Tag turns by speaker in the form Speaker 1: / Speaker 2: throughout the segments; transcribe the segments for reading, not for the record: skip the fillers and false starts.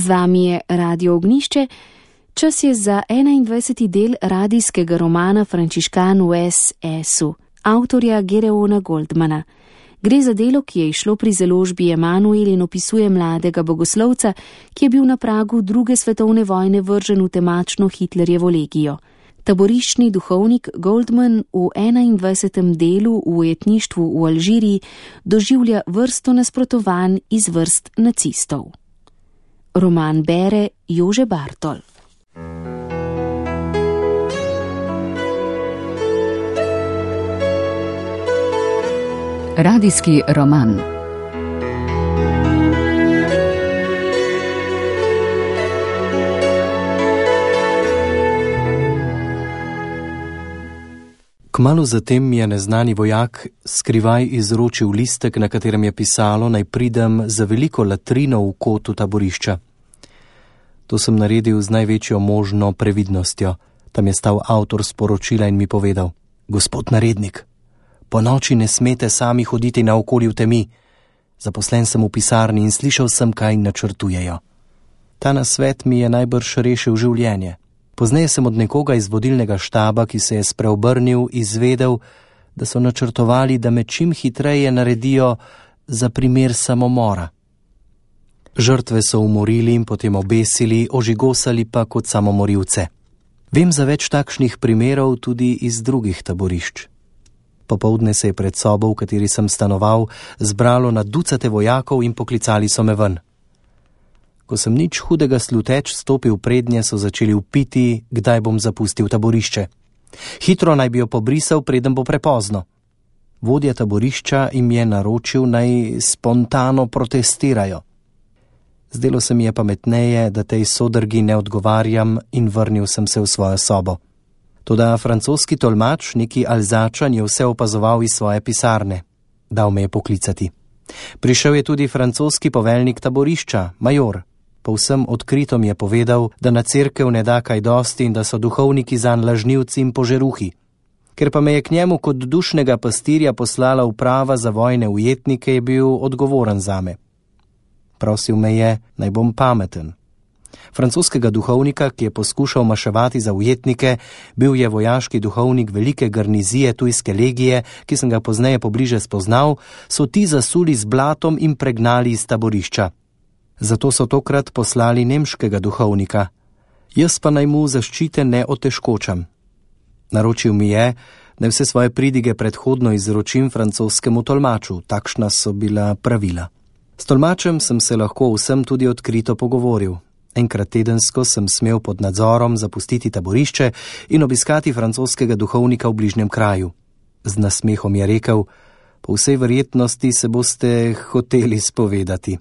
Speaker 1: Z vami je Radio Ognjišče. Čas je za 21. del radijskega romana Frančiškan v S.S.-u, avtorja Gereona Goldmana. Gre za delo, ki je izšlo pri založbi Emanuel in opisuje mladega bogoslovca, ki je bil na pragu druge svetovne vojne vržen v temačno Hitlerjevo legijo. Taboriščni duhovnik Goldman v 21. delu v ujetništvu v Alžiriji doživlja vrsto nasprotovanj iz vrst nacistov. Roman bere Jože Bartol.
Speaker 2: Radijski roman.
Speaker 3: Kmalu zatem mi je neznani vojak skrivaj izročil listek, na katerem je pisalo, naj pridem za veliko latrino v kotu taborišča. To sem naredil z največjo možno previdnostjo. Tam je stal avtor sporočila in mi povedal: Gospod narednik, po noči ne smete sami hoditi naokoli v temi. Zaposlen sem v pisarni in slišal sem, kaj načrtujejo. Ta nasvet mi je najbrž rešil življenje. Pozneje sem od nekoga iz vodilnega štaba, ki se je spreobrnil, izvedel, da so načrtovali, da me čim hitreje naredijo za primer samomora. Žrtve so umorili in potem obesili, ožigosali pa kot samomorilce. Vem za več takšnih primerov tudi iz drugih taborišč. Popoldne se je pred sobo, v kateri sem stanoval, zbralo na ducate vojakov in poklicali so me ven. Ko sem nič hudega sluteč stopil prednje, so začeli vpiti, kdaj bom zapustil taborišče. Hitro naj bi jo pobrisal, preden bo prepozno. Vodja taborišča jim je naročil, naj spontano protestirajo. Zdelo se mi je pametneje, da tej sodrgi ne odgovarjam, in vrnil sem se v svojo sobo. Toda francoski tolmač, neki Alzačan, je vse opazoval iz svoje pisarne. Dal me je poklicati. Prišel je tudi francoski poveljnik taborišča, major. Povsem odkrito mi je povedal, da na cerkev ne da kaj dosti in da so duhovniki zanj lažnivci in požeruhi. Ker pa me je k njemu kot dušnega pastirja poslala uprava za vojne ujetnike, je bil odgovoren zame. Prosil me je, naj bom pameten. Francoskega duhovnika, ki je poskušal maševati za ujetnike, bil je vojaški duhovnik velike garnizije tujske legije, ki sem ga pozneje pobliže spoznal, so ti zasuli z blatom in pregnali iz taborišča. Zato so tokrat poslali nemškega duhovnika. Jaz pa naj mu zaščite ne otežkočam. Naročil mi je, da vse svoje pridige predhodno izročim francoskemu tolmaču, takšna so bila pravila. S tolmačem sem se lahko vsem tudi odkrito pogovoril. Enkrat tedensko sem smel pod nadzorom zapustiti taborišče in obiskati francoskega duhovnika v bližnjem kraju. Z nasmehom je rekel: po vsej verjetnosti se boste hoteli spovedati.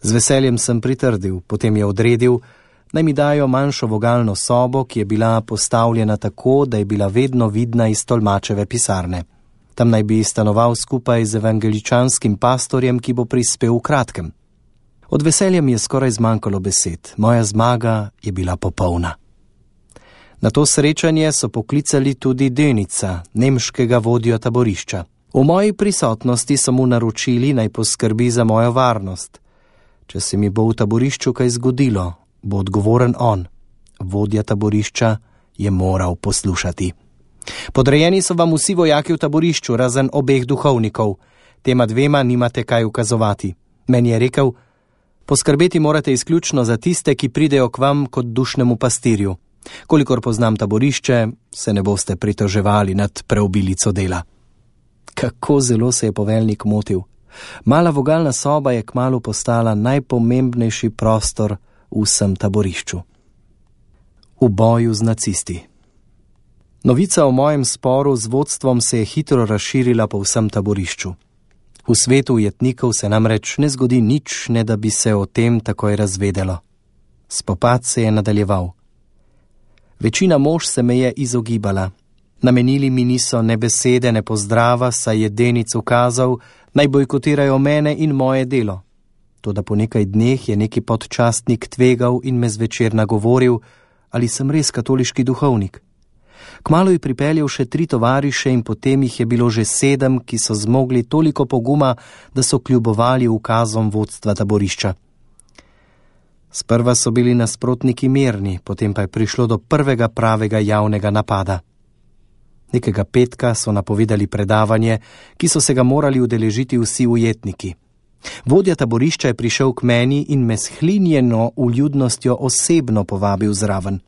Speaker 3: Z veseljem sem pritrdil, potem je odredil, naj mi dajo manjšo vogalno sobo, ki je bila postavljena tako, da je bila vedno vidna iz tolmačeve pisarne. Tam naj bi stanoval skupaj z evangeličanskim pastorjem, ki bo prispel v kratkem. Od veselja mi je skoraj zmanjkalo besed. Moja zmaga je bila popolna. Na to srečanje so poklicali tudi Denica, nemškega vodjo taborišča. V moji prisotnosti so mu naročili, naj poskrbi za mojo varnost. Če se mi bo v taborišču kaj zgodilo, bo odgovoren on. Vodja taborišča je moral poslušati. Podrejeni so vam vsi vojaki v taborišču, razen obeh duhovnikov. Tema dvema nimate kaj ukazovati. Meni je rekel: poskrbeti morate izključno za tiste, ki pridejo k vam kot dušnemu pastirju. Kolikor poznam taborišče, se ne boste pritoževali nad preobilico dela. Kako zelo se je poveljnik motil. Mala vogalna soba je kmalu postala najpomembnejši prostor v vsem taborišču. V boju z nacisti. Novica o mojem sporu z vodstvom se je hitro razširila po vsem taborišču. V svetu ujetnikov se namreč ne zgodi nič, ne da bi se o tem takoj razvedelo. Spopad se je nadaljeval. Večina mož se me je izogibala. Namenili mi niso ne besede, ne pozdrava, saj je Denic ukazal, naj bojkotirajo mene in moje delo. Toda po nekaj dneh je neki podčastnik tvegal in me zvečer nagovoril, ali sem res katoliški duhovnik. Kmalu je pripeljal še 3 tovariše in potem jih je bilo že 7, ki so zmogli toliko poguma, da so kljubovali ukazom vodstva taborišča. Sprva so bili nasprotniki mirni, potem pa je prišlo do prvega pravega javnega napada. Nekega petka so napovedali predavanje, ki so se ga morali udeležiti vsi ujetniki. Vodja taborišča je prišel k meni in me s hlinjeno vljudnostjo osebno povabil zraven.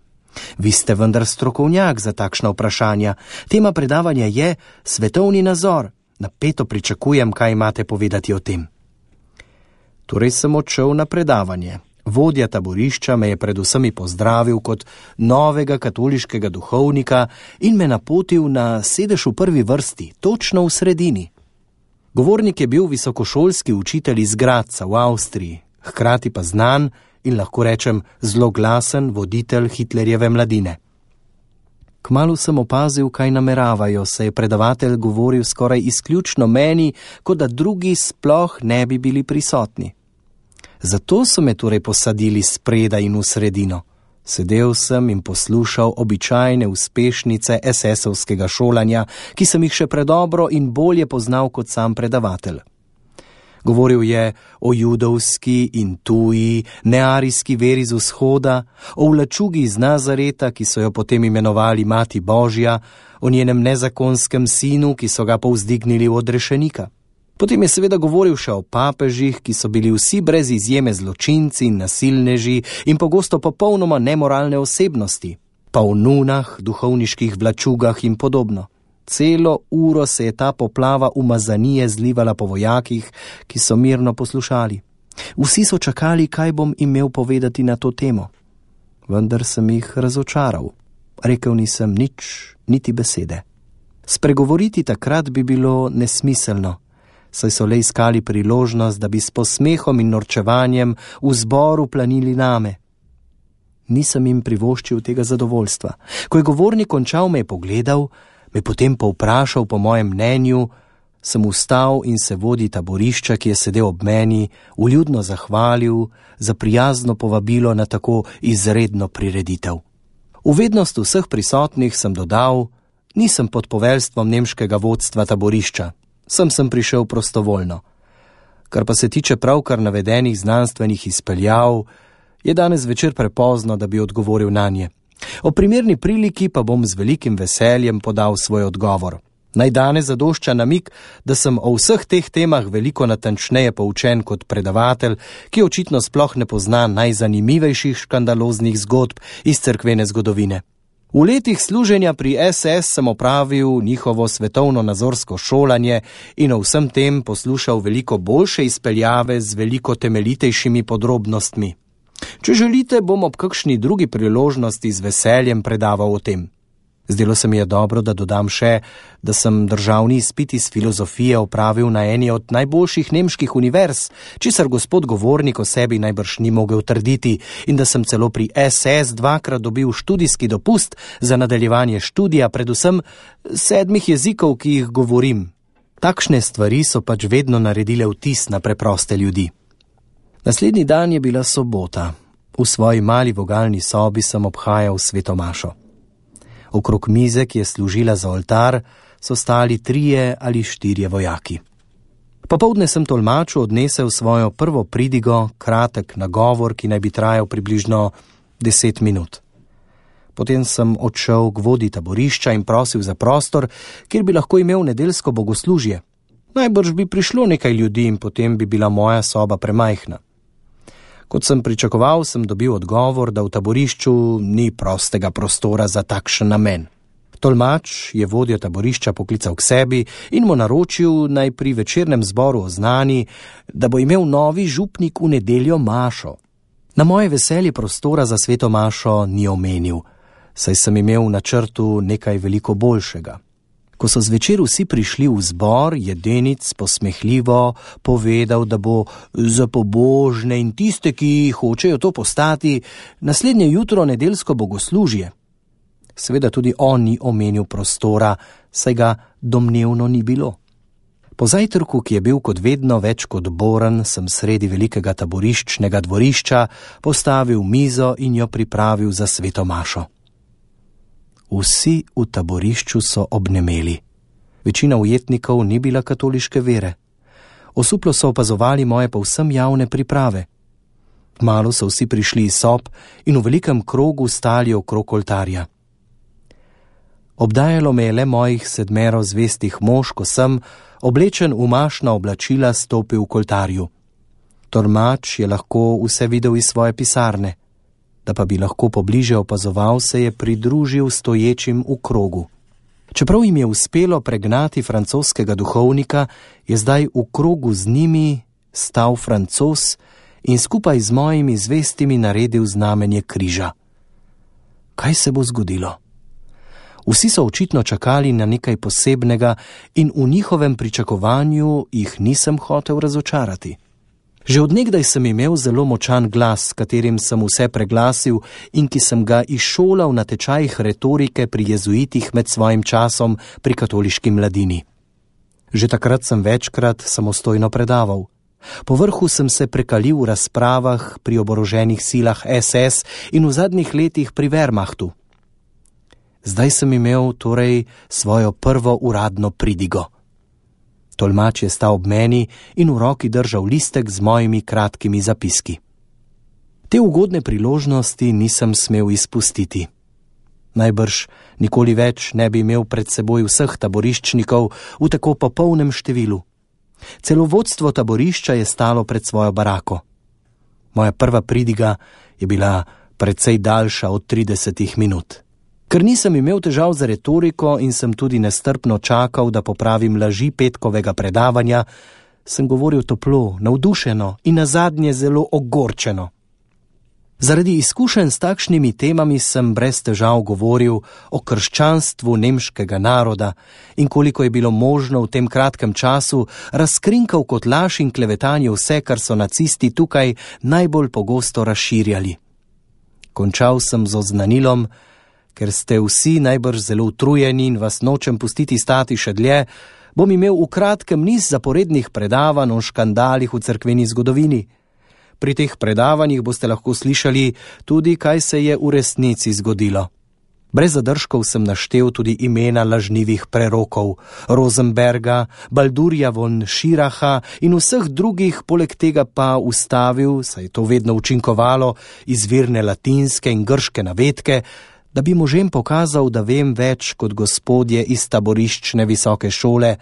Speaker 3: Vi ste vendar strokovnjak za takšna vprašanja. Tema predavanja je svetovni nazor. Napeto pričakujem, kaj imate povedati o tem. Torej sem odšel na predavanje. Vodja taborišča me je pred vsemi pozdravil kot novega katoliškega duhovnika in me napotil na sedež v prvi vrsti, točno v sredini. Govornik je bil visokošolski učitelj iz Gradca v Avstriji, hkrati pa znan in lahko rečem zloglasen voditelj Hitlerjeve mladine. Kmalu sem opazil, kaj nameravajo, saj je predavatelj govoril skoraj izključno meni, kot da drugi sploh ne bi bili prisotni. Zato so me torej posadili spredaj in v sredino. Sedel sem in poslušal običajne uspešnice SS-ovskega šolanja, ki sem jih še predobro in bolje poznal kot sam predavatelj. Govoril je o judovski in tuji, nearijski veri z vzhoda, o vlačugi iz Nazareta, ki so jo potem imenovali Mati Božja, o njenem nezakonskem sinu, ki so ga povzdignili v odrešenika. Potem je seveda govoril še o papežih, ki so bili vsi brez izjeme zločinci in nasilneži in pogosto popolnoma nemoralne osebnosti, pa o nunah, duhovniških vlačugah in podobno. Celo uro se je ta poplava umazanije zlivala po vojakih, ki so mirno poslušali. Vsi so čakali, kaj bom imel povedati na to temo. Vendar sem jih razočaral. Rekel nisem nič, niti besede. Spregovoriti takrat bi bilo nesmiselno, saj so le iskali priložnost, da bi s posmehom in norčevanjem v zboru planili name. Nisem jim privoščil tega zadovoljstva. Ko je govornik končal, me je pogledal, me potem povprašal po mojem mnenju, sem vstal in se vodji taborišča, ki je sedel ob meni, vljudno zahvalil za prijazno povabilo na tako izredno prireditev. V vednost vseh prisotnih sem dodal, nisem pod poveljstvom nemškega vodstva taborišča. Sem prišel prostovoljno. Kar pa se tiče pravkar navedenih znanstvenih izpeljav, je danes večer prepozno, da bi odgovoril nanje. O primerni priliki pa bom z velikim veseljem podal svoj odgovor. Naj danes zadošča namig, da sem o vseh teh temah veliko natančneje poučen kot predavatelj, ki očitno sploh ne pozna najzanimivejših škandaloznih zgodb iz cerkvene zgodovine. V letih služenja pri SS sem opravil njihovo svetovno-nazorsko šolanje in o vsem tem poslušal veliko boljše izpeljave z veliko temeljitejšimi podrobnostmi. Če želite, bom ob kakšni drugi priložnosti z veseljem predaval o tem. Zdelo se mi je dobro, da dodam še, da sem državni izpit iz filozofije opravil na eni od najboljših nemških univerz, česar gospod govornik o sebi najbrž ni mogel trditi, in da sem celo pri SS dvakrat dobil študijski dopust za nadaljevanje študija, predvsem 7 jezikov, ki jih govorim. Takšne stvari so pač vedno naredile vtis na preproste ljudi. Naslednji dan je bila sobota. V svoji mali vogalni sobi sem obhajal sveto mašo. Okrog mize, ki je služila za oltar, so stali 3 ali 4 vojaki. Popoldne sem tolmaču odnesel svojo prvo pridigo, kratek nagovor, ki naj bi trajal približno 10 minut. Potem sem odšel k vodji taborišča in prosil za prostor, kjer bi lahko imel nedeljsko bogoslužje. Najbrž bi prišlo nekaj ljudi in potem bi bila moja soba premajhna. Kot sem pričakoval, sem dobil odgovor, da v taborišču ni prostega prostora za takšen namen. Tolmač je vodjo taborišča poklical k sebi in mu naročil, naj pri večernem zboru oznani, da bo imel novi župnik v nedeljo mašo. Na moje veselje prostora za sveto mašo ni omenil, saj sem imel v načrtu nekaj veliko boljšega. Ko so zvečer vsi prišli v zbor, je Denic posmehljivo povedal, da bo za pobožne in tiste, ki hočejo to postati, naslednje jutro nedeljsko bogoslužje. Seveda tudi on ni omenil prostora, saj ga domnevno ni bilo. Po zajtrku, ki je bil kot vedno več kot boren, sem sredi velikega taboriščnega dvorišča postavil mizo in jo pripravil za sveto mašo. Vsi v taborišču so obnemeli. Večina ujetnikov ni bila katoliške vere. Osuplo so opazovali moje povsem javne priprave. Kmalu so vsi prišli iz sob in v velikem krogu stali okrog oltarja. Obdajalo me je le mojih 7 zvestih mož, ko sem, oblečen v mašna oblačila, stopil k oltarju. Tolmač je lahko vse videl iz svoje pisarne, da pa bi lahko pobliže opazoval, se je pridružil stoječim v krogu. Čeprav jim je uspelo pregnati francoskega duhovnika, je zdaj v krogu z njimi stal Francoz in skupaj z mojimi zvestimi naredil znamenje križa. Kaj se bo zgodilo? Vsi so očitno čakali na nekaj posebnega in v njihovem pričakovanju jih nisem hotel razočarati. Že od nekdaj sem imel zelo močan glas, s katerim sem vse preglasil in ki sem ga izšolal na tečajih retorike pri jezuitih med svojim časom pri katoliški mladini. Že takrat sem večkrat samostojno predaval. Povrhu sem se prekalil v razpravah pri oboroženih silah SS in v zadnjih letih pri Wehrmachtu. Zdaj sem imel torej svojo prvo uradno pridigo. Tolmač je stal ob meni in v roki držal listek z mojimi kratkimi zapiski. Te ugodne priložnosti nisem smel izpustiti. Najbrž nikoli več ne bi imel pred seboj vseh taboriščnikov v tako popolnem številu. Celo vodstvo taborišča je stalo pred svojo barako. Moja prva pridiga je bila precej daljša od 30 minut. Ker nisem imel težav za retoriko in sem tudi nestrpno čakal, da popravim laži petkovega predavanja, sem govoril toplo, navdušeno in nazadnje zelo ogorčeno. Zaradi izkušenj s takšnimi temami sem brez težav govoril o krščanstvu nemškega naroda in koliko je bilo možno v tem kratkem času razkrinkal kot laž in klevetanje vse, kar so nacisti tukaj najbolj pogosto razširjali. Končal sem z oznanilom, ker ste vsi najbrž zelo utrujeni in vas nočem pustiti stati še dlje, bom imel v kratkem niz zaporednih predavanj o škandalih v cerkveni zgodovini. Pri teh predavanjih boste lahko slišali tudi, kaj se je v resnici zgodilo. Brez zadržkov sem naštel tudi imena lažnivih prerokov, Rosenberga, Baldurja von Schiracha in vseh drugih, poleg tega pa ustavil, saj je to vedno učinkovalo, izvirne latinske in grške navedke, da bi možem pokazal, da vem več kot gospodje iz taboriščne visoke šole,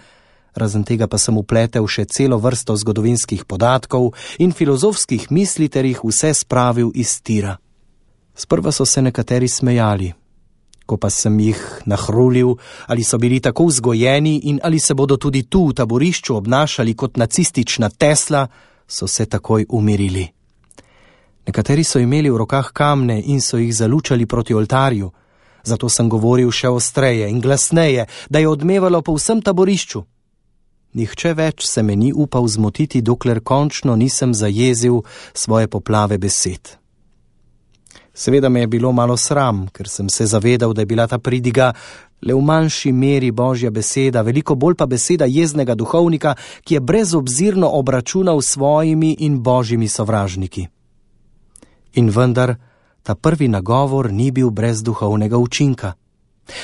Speaker 3: razen tega pa sem upletel še celo vrsto zgodovinskih podatkov in filozofskih misli ter jih vse spravil iz tira. Sprva so se nekateri smejali, ko pa sem jih nahrulil, ali so bili tako vzgojeni in ali se bodo tudi tu v taborišču obnašali kot nacistična Tesla, so se takoj umirili. Nekateri so imeli v rokah kamne in so jih zalučali proti oltarju, zato sem govoril še ostreje in glasneje, da je odmevalo po vsem taborišču. Nihče več se me ni upal zmotiti, dokler končno nisem zajezil svoje poplave besed. Seveda me je bilo malo sram, ker sem se zavedal, da je bila ta pridiga le v manjši meri Božja beseda, veliko bolj pa beseda jeznega duhovnika, ki je brezobzirno obračunal s svojimi in Božjimi sovražniki. In vendar, ta prvi nagovor ni bil brez duhovnega učinka.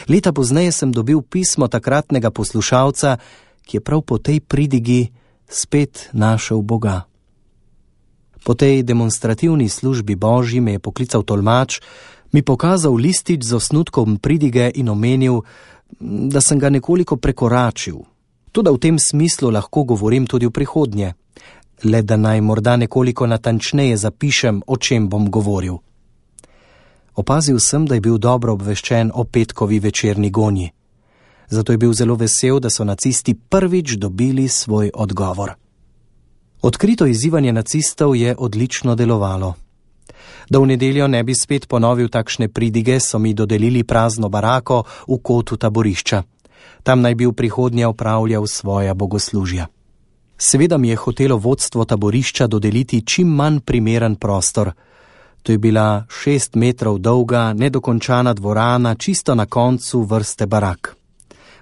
Speaker 3: Leta pozneje sem dobil pismo takratnega poslušalca, ki je prav po tej pridigi spet našel Boga. Po tej demonstrativni službi Božji me je poklical tolmač, mi pokazal listič z osnutkom pridige in omenil, da sem ga nekoliko prekoračil. Toda v tem smislu lahko govorim tudi v prihodnje. Le da naj morda nekoliko natančneje zapišem, o čem bom govoril. Opazil sem, da je bil dobro obveščen o petkovi večerni gonji. Zato je bil zelo vesel, da so nacisti prvič dobili svoj odgovor. Odkrito izzivanje nacistov je odlično delovalo. Da v nedeljo ne bi spet ponovil takšne pridige, so mi dodelili prazno barako v kotu taborišča. Tam naj bi v prihodnje opravljal svoja bogoslužja. Seveda mi je hotelo vodstvo taborišča dodeliti čim manj primeren prostor. To je bila 6 metrov dolga, nedokončana dvorana, čisto na koncu vrste barak.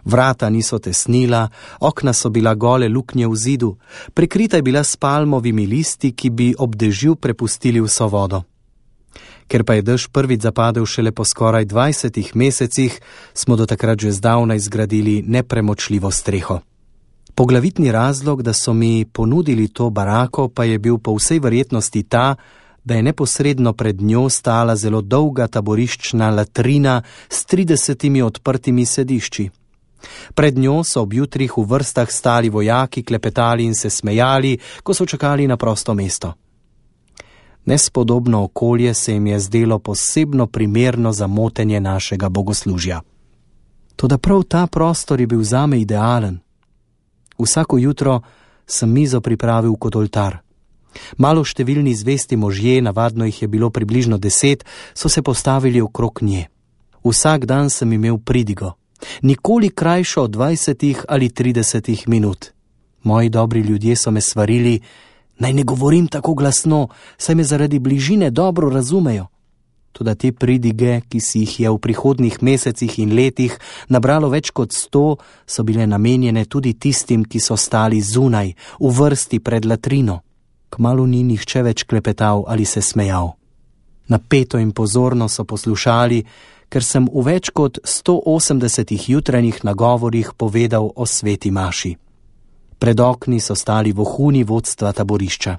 Speaker 3: Vrata niso tesnila, okna so bila gole luknje v zidu, prekrita je bila s palmovimi listi, ki bi ob dežju prepustili vso vodo. Ker pa je dež prvič zapadel šele po skoraj 20 mesecih, smo do takrat že zdavnaj zgradili nepremočljivo streho. Poglavitni razlog, da so mi ponudili to barako, pa je bil po vsej verjetnosti ta, da je neposredno pred njo stala zelo dolga taboriščna latrina s 30 odprtimi sedišči. Pred njo so ob jutrih v vrstah stali vojaki, klepetali in se smejali, ko so čakali na prosto mesto. Nespodobno okolje se jim je zdelo posebno primerno za motenje našega bogoslužja. Toda prav ta prostor je bil zame idealen. Vsako jutro sem mizo pripravil kot oltar. Malo številni zvesti možje, navadno jih je bilo približno 10, so se postavili okrog nje. Vsak dan sem imel pridigo, nikoli krajšo od 20 ali 30 minut. Moji dobri ljudje so me svarili, naj ne govorim tako glasno, saj me zaradi bližine dobro razumejo. Toda te pridige, ki si jih je v prihodnjih mesecih in letih nabralo več kot 100, so bile namenjene tudi tistim, ki so stali zunaj, v vrsti pred latrino. Kmalu ni nihče več klepetal ali se smejal. Napeto in pozorno so poslušali, ker sem v več kot 180 jutranjih nagovorih povedal o sveti maši. Pred okni so stali vohuni vodstva taborišča.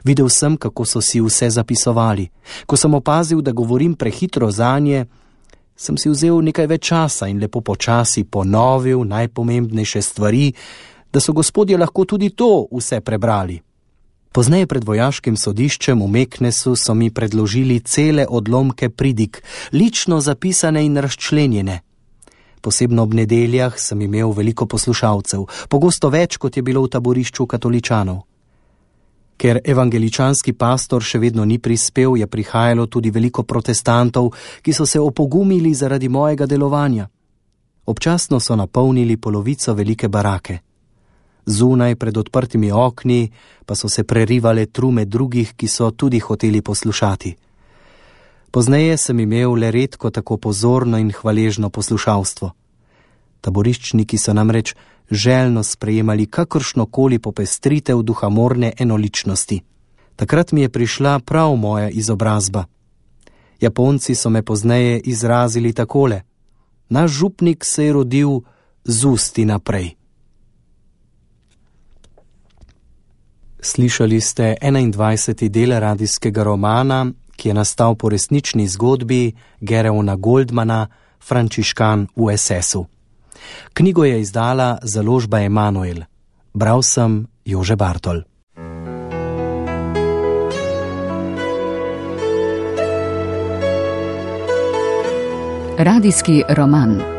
Speaker 3: Videl sem, kako so si vse zapisovali. Ko sem opazil, da govorim prehitro zanje, sem si vzel nekaj več časa in lepo počasi ponovil najpomembnejše stvari, da so gospodje lahko tudi to vse prebrali. Pozneje pred vojaškim sodiščem v Meknesu so mi predložili cele odlomke pridig, lično zapisane in razčlenjene. Posebno ob nedeljah sem imel veliko poslušalcev, pogosto več, kot je bilo v taborišču katoličanov. Ker evangeličanski pastor še vedno ni prispel, je prihajalo tudi veliko protestantov, ki so se opogumili zaradi mojega delovanja. Občasno so napolnili polovico velike barake. Zunaj pred odprtimi okni pa so se prerivale trume drugih, ki so tudi hoteli poslušati. Pozneje sem imel le redko tako pozorno in hvaležno poslušalstvo. Taboriščniki so namreč željno sprejemali kakršnokoli popestritev duhamorne enoličnosti. Takrat mi je prišla prav moja izobrazba. Japonci so me pozneje izrazili takole: naš župnik se je rodil z usti naprej. Slišali ste 21. del radijskega romana, ki je nastal po resnični zgodbi Gereona Goldmana, Frančiškan v SS-u. Knjigo je izdala založba Emanuel. Bral sem Jože Bartol.
Speaker 2: Radijski roman.